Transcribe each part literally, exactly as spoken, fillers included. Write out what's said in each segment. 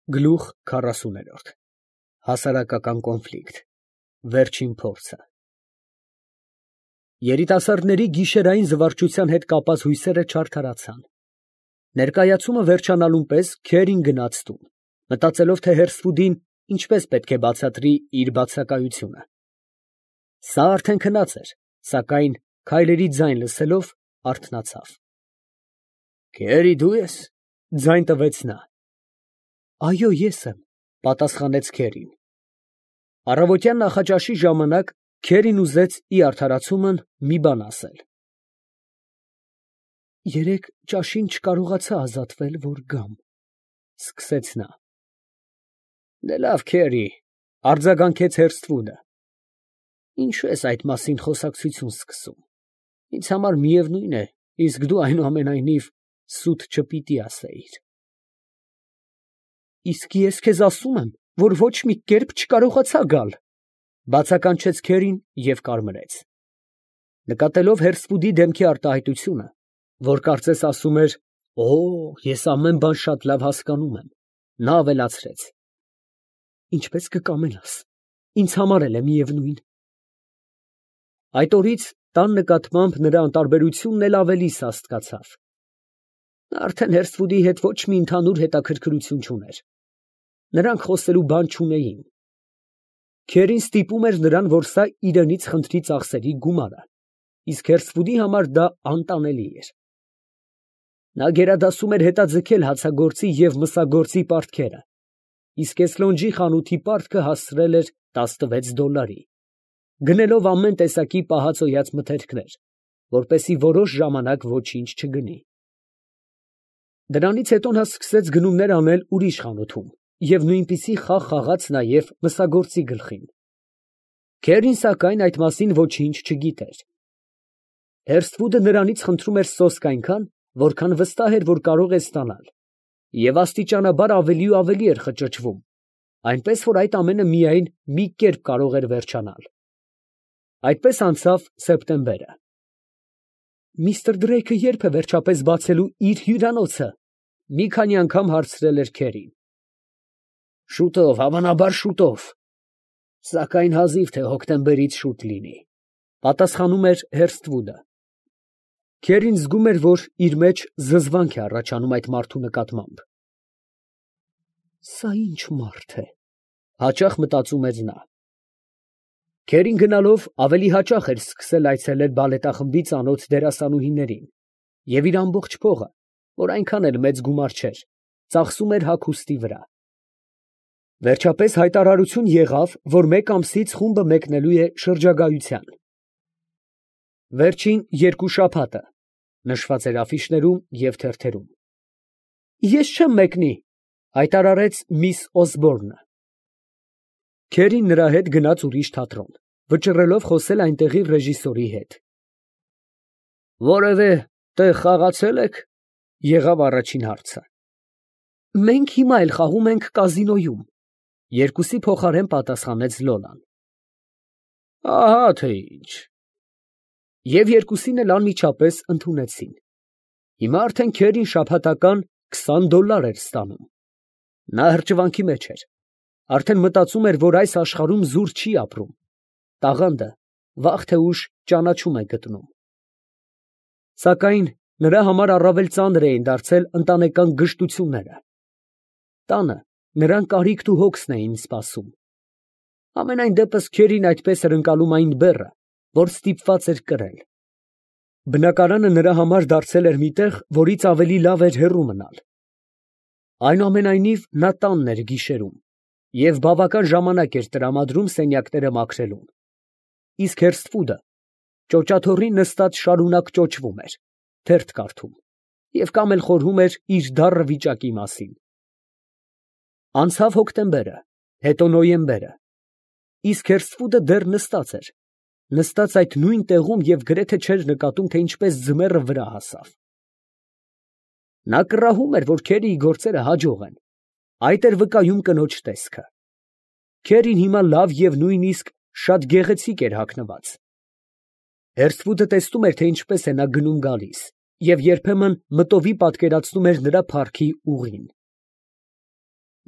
Գլուխ քառասուն. Հասարակական կոնֆլիկտ, վերջին փորձը։ Երիտասարդների գիշերային զվարճության հետ կապված հույսերը չարդարացան։ Ներկայացումը վերջանալուն պես Քերին գնաց տուն, մտածելով, թե հերսվուդին ինչպես պետք է բացատրի իր բացակայությունը։ Սա արդեն քնած էր, սակայն քայլերի ձայն լսելով արթնացավ։ «Քերի, դու ես», ֊ ձայն տվեց նա։ «Այո, ես եմ», ֊ պատասխանեց Քերին։ Առավոտյան նախաճաշի ժամանակ Քերին ուզեց ի արդարացումն մի բան ասել։ «Երեկ ճաշին չկարողացա ազատվել, որ գամ», ֊ սկսեց նա։ «Դե լավ, Քերի», ֊ արձագանքեց Հերսթվուդը։ «Ինչու ես այդ մասին խոսակցություն սկսում, ինձ համար միևնույն է, իսկ դու այնուամենայնիվ սուտ չպիտի ասեիր»։ «Իսկ ես քեզ ասում եմ, որ ոչ մի կերպ չկարողացա գալ», ֊ բացականչեց Քերին և կարմրեց։ Նկատելով Հերսթվուդի դեմքի արտահայտությունը, որ կարծես ասում էր. «Օ, ես ամեն բան շատ լավ հասկանում եմ», նա ավելացրեց. «Ինչպես կկամենաս, ինձ համար էլ է միևնույն»։ Այդ օրից տան նկատմամբ նրա անտարբերությունն էլ ավելի սաստկացավ։ Նա արդեն Հերսթվուդի հետ ոչ մի ընդհանուր հետաքրքրություն չուներ։ Նրանք խոսելու բան չունեին։ Քերին ստիպում էր նրան, որ սա իրենից խնդրի ծախսերի գումարը, իսկ Հերսթվուդի համար դա անտանելի էր։ Նա գերադասում էր հետաձգել հացագործի և մսագործի պարտքերը, իսկ Էսլոնջի խանութի պարտքը հասցրել էր տասնվեց դոլարի, գնելով ամեն տեսակի պահածոյաց մթերքներ, որպեսզի որոշ ժամանակ ոչինչ չգնի։ Դրանից հետո նա սկսեց գնումներ անել ուրիշ խանութում և նույնպիսի խաղ խաղաց նաև մսագործի գլխին։ Քերին, սակայն, այդ մասին ոչինչ չգիտեր։ Հերսթվուդը նրանից խնդրում էր սոսկ այնքան, որքան վստահ էր, որ կարող է ստանալ, և աստիճանաբար ավելի ու ավելի էր խճճվում, այնպես որ այդ ամենը միայն մի կերպ կարող էր վերջանալ։ Այդպես անցավ սեպտեմբերը։ «Միստր Դրեյքը ե՞րբ է վերջապես բացելու իր հյուրանոցը», ֊ մի քանի անգամ հարցրել էր Քերին։ «Շուտով, հավանաբար շուտով, սակայն հազիվ թե հոկտեմբերից շուտ լինի», ֊ պատասխանում էր Հերսթվուդը։ Քերին զգում էր, որ իր մեջ զզվանք է առաջանում այդ մարդու նկատմամբ։ «Սա ի՞նչ մարդ է», ֊ հաճախ մտածում էր նա։ Քերին գնալով ավելի հաճախ էր սկսել այցելել բալետախմբի ծանոթ դերասանուհիներին և իր ամբողջ փողը, որ այնքան էլ մեծ գումար չէր, ծախսում էր հագուստի վրա։ Վերջապես հայտարարություն եղավ, որ մեկ ամսից խումբը մեկնելու է շրջագայության։ Վերջին երկու շաբաթը նշված էր աֆիշներում և թերթերում։ «Ես չեմ մեկնի», ֊ հայտարարեց միս Օսբորնը։ Քերին նրա հետ գնաց ուրիշ թատրոն, վճռելով խոսել այնտեղի ռեժիսորի հետ։ «Որևէ տեղ խաղացե՞լ եք», ֊ եղավ առաջին հարցը։ «Մենք հիմա էլ խաղում ենք կազինոյում», ֊ երկուսի փոխարեն պատասխանեց Լոլան։ «Ահա թե ինչ»։ Եվ երկուսին էլ անմիջապես ընդունեցին։ Հիմա արդեն Քերին շաբաթական քսան դոլար էր ստանում։ Նա հրճվանքի մեջ էր, արդեն մտածում էր, որ այս աշխարհում զուր չի ապրում, տաղանդը վաղ թե ուշ ճանաչում է գտնում։ Սակայն նրա համար առավել ծանր էին դարձել ընտանեկան գժտությունները։ Տանը նրան կարիքն ու հոգսն էին սպասում։ Համենայն դեպս Քերին այդպես էր ընկալում այն բեռը, որ ստիպված էր կրել։ Բնակարանը նրա համար դարձել էր մի տեղ, որից ավելի լավ էր հեռու մնալ։ Այնուամենայնիվ նա տանն էր գիշերում և բավական ժամանակ էր տրամադրում սենյակները մաքրելուն, իսկ Հերսթվուդը ճոճաթոռին նստած շարունակ ճոճվում էր, թերթ կարդում և կամ էլ խորհում էր իր դառն վիճակի մասին։ Անցավ հոկտեմբերը, հետո նոյեմբերը, իսկ Հերսթվուդը դեռ նստած էր, նստած այդ նույն տեղում և գրեթե չէր նկատում, թե ինչպես ձմեռը վրա հասավ։ Նա կռահում էր, որ Քերիի գործերը հաջող են, այդ էր վկայում կնոջ տեսքը։ Քերին հիմա լավ և նույնիսկ շատ գեղեցիկ էր հագնված։ Հերսթվուդը տեսնում էր, թե ինչպես է նա գնում֊գալիս, և երբեմն մտովի պատկերացնում էր նրա փառքի ուղին։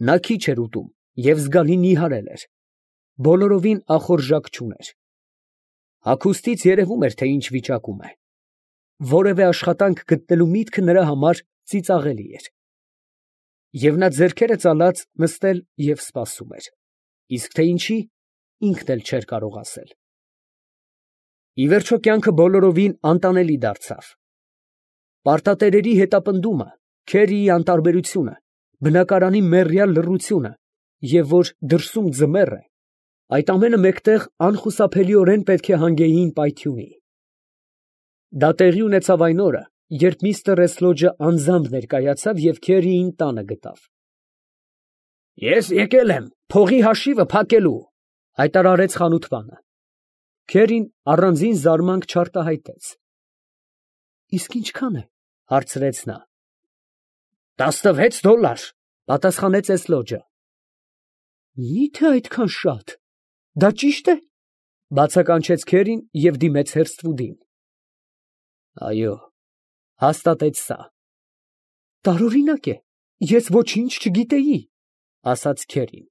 Նա քիչ էր ուտում և զգալի նիհարել էր, բոլորովին ախորժակ չուներ։ Հագուստից երևում էր, թե ինչ վիճակում է։ Որևէ աշխատանք գտնելու միտքը նրա համար ծիծաղելի էր։ Եվ նա ձեռքերը ծալած նստել և սպասում էր, իսկ թե ինչի, ինքն էլ չէր կարող ասել։ Ի վերջո կյանքը բոլորովին անտանելի դարձավ։ Պարտատերերի հետապնդումը, քերիի անտարբերությունը, բնակարանի մեռյալ լռությունը և որ դրսում ձմեռ է, այդ ամենը մեկտեղ անխուսափելիորեն պետք է հանգեին պայթյունի։ Դա տեղի ունեցավ այն օրը, երբ միստր Էսլոջը անձամբ ներկայացավ և քերիին տանը գտավ։ «Ես եկել եմ փողի հաշիվը փակելու», ֊ հայտարարեց խանութպանը։ Քերին առանձին զարմանք չարտահայտեց։ «Իսկ ինչքան է, ֊ հարցրեց նա։ ֊ Տասնվեց դոլար, ֊ պատասխանեց Էսլոջը։ ֊ Մի՞թե այդքան շատ, դա ճի՞շտ է, ֊ բացականչեց քերին և դիմեց Հերսթվուդին։ ֊ Այո, ֊ հաստատեց սա։ ֊ Տարօրինակ է, ես ոչինչ չգիտեի, ֊ ասաց քերին։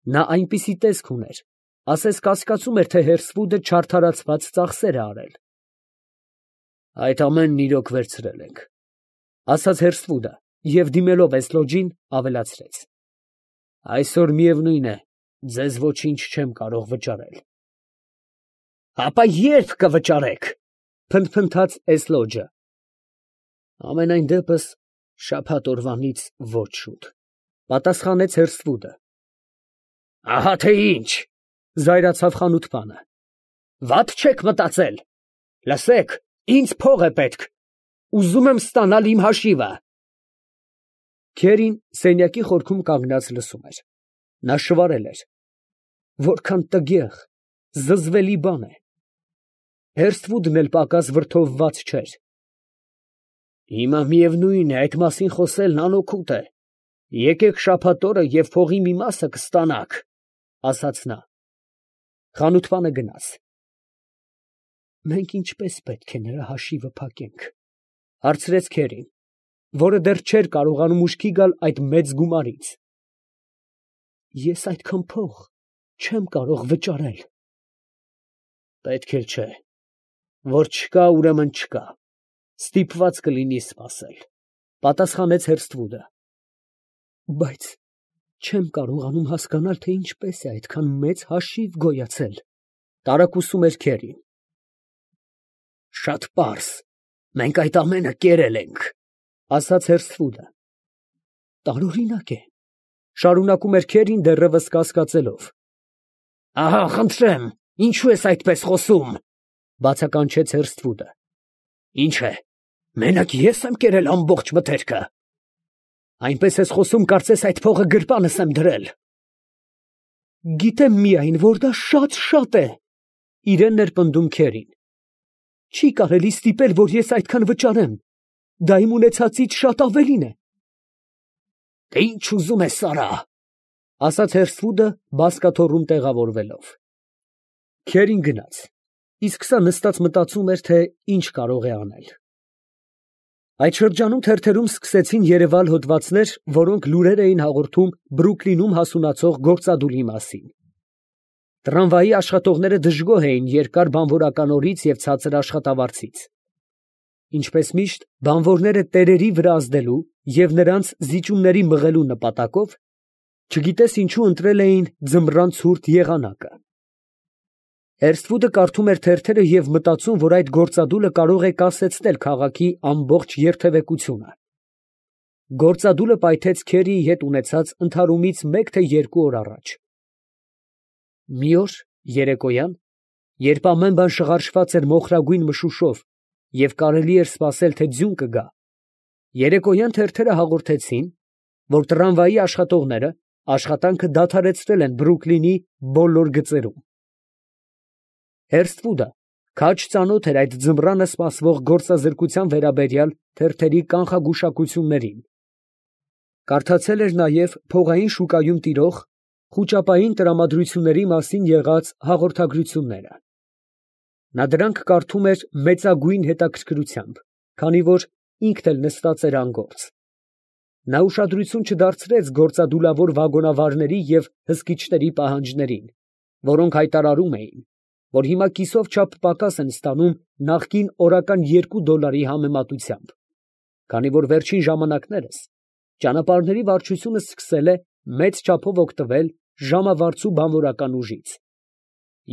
Նա այնպիսի տեսք ուներ, ասես կասկածում էր, թե Հերսթվուդը չարդարացված ծախսեր է արել։ ֊ Այդ ամենն իրոք վերցրել ենք, ֊ ասաց Հերսթվուդը և դիմելով Էսլոջին ավելացրեց. ֊ Այսօր միևնույն է, ձեզ ոչինչ չեմ կարող վճարել։ ֊ Ապա ե՞րբ կվճարեք, ֊ փնթփնթաց Էսլոջը։ ֊ Համենայն դեպս շաբաթ օրվանից ոչ շուտ, ֊ պատասխանեց Հերսթվուդը։ ֊ Ահա թե ինչ, ֊ զայրացավ խանութպանը։ ֊ Վատ չեք մտածել. լսեք, ինձ փող է պետք, ուզում եմ ստանալ իմ հաշիվը։ Քերին սենյակի խորքում կանգնած լսում էր։ Նա շվարել էր. որքան տգեղ, զզվելի բան է։ Հերսթվուդն էլ պակաս վրդովված չէր։ Հիմա միևնույն է, այդ մասին խոսելն անօգուտ է։ Եկեք շաբաթ օրը և փողի մի մասը կստանաք, ֊ ասաց նա։ Խանութպանը գնաց։ Մենք ինչպե՞ս պետք է նրա հաշիվը փակենք, ֊ հարցրեց քերին, որը դեռ չէր կարողանում ուշքի գալ այդ մեծ գումարից։ Ես այդքան փող չեմ կարող վճարել։ Պետք էլ չէ, որ չկա, ուրեմն չկա, ստիպված կլինի սպասել, ֊ պատասխանեց Հերսթվուդը։ Բայց չեմ կարողանում հասկանալ, թե ինչպես է այդքան մեծ հաշիվ գոյացել, ֊ տարակուսում էր քերին։ Շատ պարզ, մենք այդ ամենը կերել ենք, ֊ ասաց Հերսթվուդը։ Տարօրինակ է, ֊ շարունակում էր քերին դեռևս կասկածելով։ Ահա, խնդրեմ, ինչու ես այդպես խոսում, ֊ բացականչեց Հերսթվուդը։ Ինչ է, մենակ ես եմ կերել ամբողջ մթերքը։ Այնպես ես խոսում, կարծես այդ փողը գրպանս եմ դրել։ Գիտեմ միայն, որ դա շատ֊շատ է, ֊ իրեն էր պնդում քերին։ Չի կարելի ստիպել, որ ես այդքան վճարեմ, դա իմ ունեցածից շատ ավելին է։ Դե ինչ ուզում ես արա, ֊ ասաց Հերսթվուդը բազկաթոռում տեղավորվելով։ Քերին գնաց, իսկ սա նստած մտածում էր, թե ինչ կարող է անել։ Այդ շրջանում թերթերում սկսեցին երևալ հոդվածներ, որոնք լուրեր էին հաղորդում Բրուքլինում հասունացող գործադուլի մասին։ Տրամվայի աշխատողները դժգոհ էին երկար բանվորական օրից և ցածր աշխատավարձից։ Ինչպես միշտ, բանվորները տերերի վրա ազդելու և նրանց զիջումների մղելու նպատակով, չգիտես ինչու ընտրել էին ձմռան ցուրտ եղանակը։ Հերսթվուդը կարդում էր թերթերը և մտածում, որ այդ գործադուլը կարող է կասեցնել քաղաքի ամբողջ երթևեկությունը։ Գործադուլը պայթեց Քերիի հետ ունեցած ընդհարումից մեկ թե երկու օր առաջ։ Մի օր երեկոյան, երբ ամեն բան շղարշված էր մոխրագույն մշուշով և կարելի էր սպասել, թե ձյուն կգա, երեկոյան թերթերը հաղորդեցին, որ տրամվայի աշխատողները աշխատանքը դադարեցրել են Բրուքլինի բոլոր գծերում։ Հերսթվուդը քաջ ծանոթ էր այդ ձմռանը սպասվող գործազրկության վերաբերյալ թերթերի կանխագուշակություններին։ Կարդացել էր նաև փողային շուկայում տիրող խուճապային տրամադրությունների մասին եղած հաղորդագրությունները։ Նա դրանք կարդում էր մեծագույն հետաքրքրությամբ, քանի որ ինքն էլ նստած էր անգործ։ Նա ուշադրություն չդարձրեց գործադուլավոր վագոնավարների և հսկիչների պահանջներին, որոնք հայտարարում էին, որ հիմա կիսով չափ պակաս են ստանում նախկին օրական երկու դոլարի համեմատությամբ, քանի որ վերջին ժամանակներս ճանապարհների վարչությունը սկսել է մեծ չափով օգտվել ժամավարձու բանվորական ուժից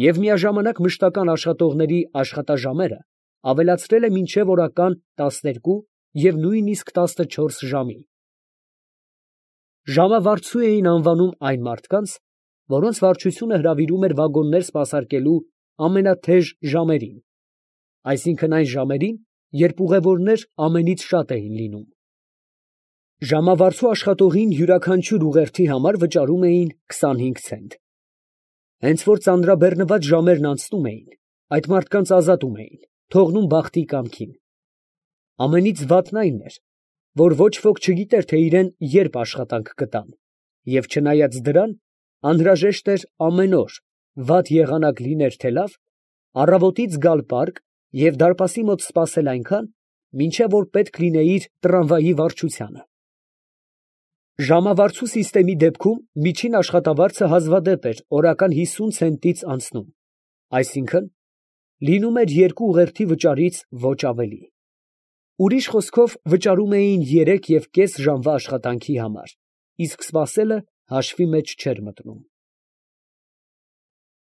և միաժամանակ մշտական աշխատողների աշխատաժամերը ավելացրել է մինչև օրական տասներկու և նույնիսկ տասնչորս ժամի։ Ժամավարձու էին անվանում այն մարդկանց, որոնց վարչությունը հրավիրում էր վագոններ սպասարկելու ամենաթեժ ժամերին, այսինքն այն ժամերին, երբ ուղևորներ ամենից շատ էին լինում։ Ժամավարձու աշխատողին յուրաքանչյուր ուղերձի համար վճարում էին քսանհինգ ցենտ։ Հենց որ ծանրաբեռնված ժամերն անցնում էին, այդ մարդկանց ազատում էին, թողնում բախտի կամքին։ Ամենից վատն այն էր, որ ոչ ոք չգիտեր, թե իրան երբ աշխատանք կտան, և չնայած դրան, անհրաժեշտ էր ամեն օր, վատ եղանակ լիներ թե լավ, առավոտից գալ պարկ և դարպասի մոտ սպասել այնքան, մինչև որ պետք լինեիր տրամվայի վարչությանը։ Ժամավարձու սիստեմի դեպքում միջին աշխատավարձը հազվադեպ էր օրական հիսուն ցենտից անցնում, այսինքն՝ լինում էր երկու ուղերձի վճարից ոչ ավելի։ Ուրիշ խոսքով վճարում էին երեք և կես ժամվա աշխատանքի համար, իսկ սպասելը հաշվի մեջ չէր մտնում։